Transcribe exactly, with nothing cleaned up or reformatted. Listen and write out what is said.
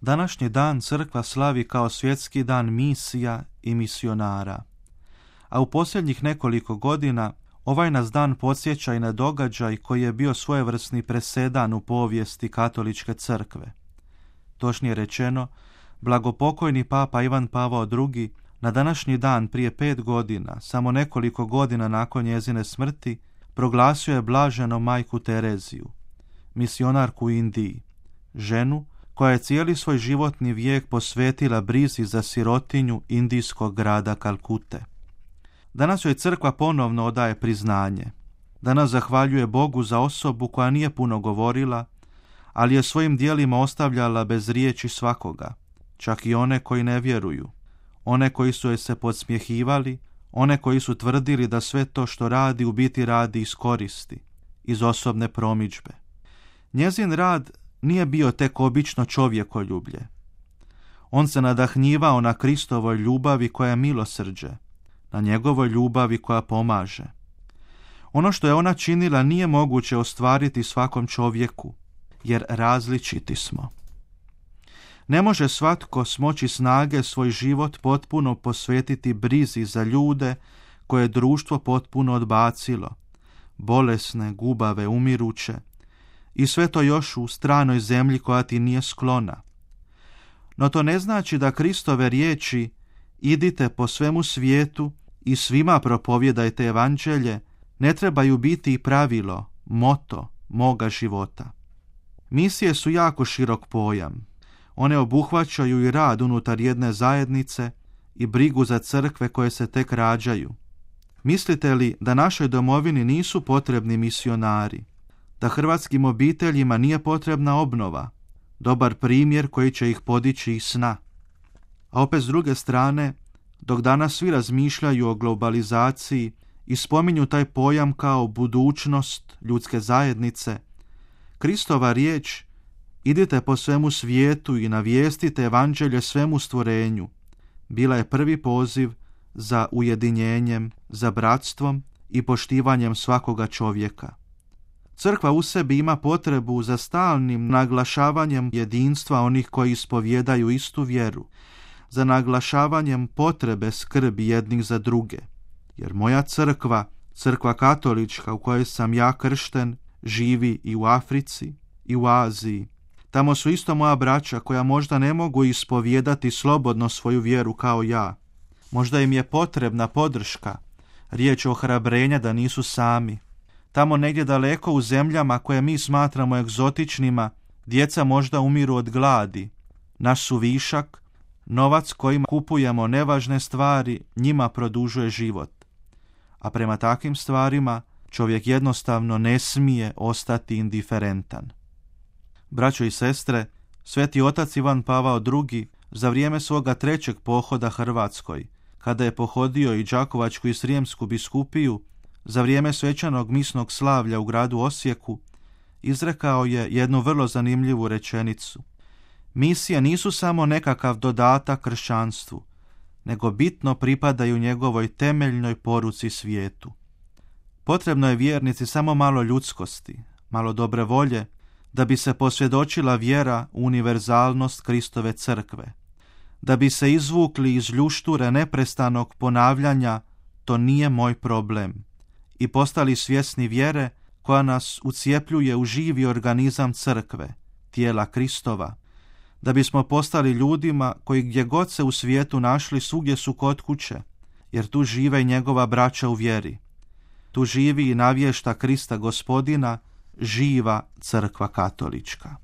Današnji dan crkva slavi kao svjetski dan misija i misionara. A u posljednjih nekoliko godina ovaj nas dan podsjeća i na događaj koji je bio svojevrsni presedan u povijesti katoličke crkve. Točnije rečeno, blagopokojni papa Ivan Pavao drugi na današnji dan prije pet godina, samo nekoliko godina nakon njezine smrti, proglasio je blaženo majku Tereziju, misionarku u Indiji, ženu koja je cijeli svoj životni vijek posvetila brizi za sirotinju indijskog grada Kalkute. Danas joj crkva ponovno odaje priznanje. Danas zahvaljuje Bogu za osobu koja nije puno govorila, ali je svojim djelima ostavljala bez riječi svakoga, čak i one koji ne vjeruju, one koji su joj se podsmjehivali, one koji su tvrdili da sve to što radi u biti radi iz koristi, iz osobne promidžbe. Njezin rad nije bio tek obično čovjekoljublje. On se nadahnjivao na Kristovoj ljubavi koja je milosrđe, na njegovoj ljubavi koja pomaže. Ono što je ona činila nije moguće ostvariti svakom čovjeku, jer različiti smo. Ne može svatko smoći snage svoj život potpuno posvetiti brizi za ljude koje je društvo potpuno odbacilo, bolesne, gubave, umiruće, i sve to još u stranoj zemlji koja ti nije sklona. No to ne znači da Kristove riječi idite po svemu svijetu i svima propovjedajte evanđelje ne trebaju biti i pravilo, moto moga života. Misije su jako širok pojam. One obuhvaćaju i rad unutar jedne zajednice i brigu za crkve koje se tek rađaju. Mislite li da našoj domovini nisu potrebni misionari? Da hrvatskim obiteljima nije potrebna obnova, dobar primjer koji će ih podići iz sna? A opet s druge strane, dok danas svi razmišljaju o globalizaciji i spominju taj pojam kao budućnost ljudske zajednice, Kristova riječ idite po svemu svijetu i navijestite evanđelje svemu stvorenju bila je prvi poziv za ujedinjenjem, za bratstvom i poštivanjem svakoga čovjeka. Crkva u sebi ima potrebu za stalnim naglašavanjem jedinstva onih koji ispovijedaju istu vjeru, za naglašavanjem potrebe skrbi jednih za druge. Jer moja crkva, crkva katolička u kojoj sam ja kršten, živi i u Africi i u Aziji. Tamo su isto moja braća koja možda ne mogu ispovijedati slobodno svoju vjeru kao ja. Možda im je potrebna podrška, riječ ohrabrenja da nisu sami. Tamo negdje daleko u zemljama koje mi smatramo egzotičnima, djeca možda umiru od gladi. Naš su višak, novac kojim kupujemo nevažne stvari, njima produžuje život. A prema takvim stvarima čovjek jednostavno ne smije ostati indiferentan. Braćo i sestre, sveti otac Ivan Pavao drugi za vrijeme svoga trećeg pohoda Hrvatskoj, kada je pohodio i Đakovačku i Srijemsku biskupiju, za vrijeme svečanog misnog slavlja u gradu Osijeku, izrekao je jednu vrlo zanimljivu rečenicu. Misije nisu samo nekakav dodatak kršćanstvu, nego bitno pripadaju njegovoj temeljnoj poruci svijetu. Potrebno je vjernici samo malo ljudskosti, malo dobre volje, da bi se posvjedočila vjera u univerzalnost Kristove crkve, da bi se izvukli iz ljušture neprestanog ponavljanja to nije moj problem i postali svjesni vjere koja nas ucijepljuje u živi organizam crkve, tijela Kristova, da bismo postali ljudima koji gdje god se u svijetu našli svugdje su kod kuće, jer tu žive i njegova braća u vjeri. Tu živi i navješta Krista Gospodina, živa crkva katolička.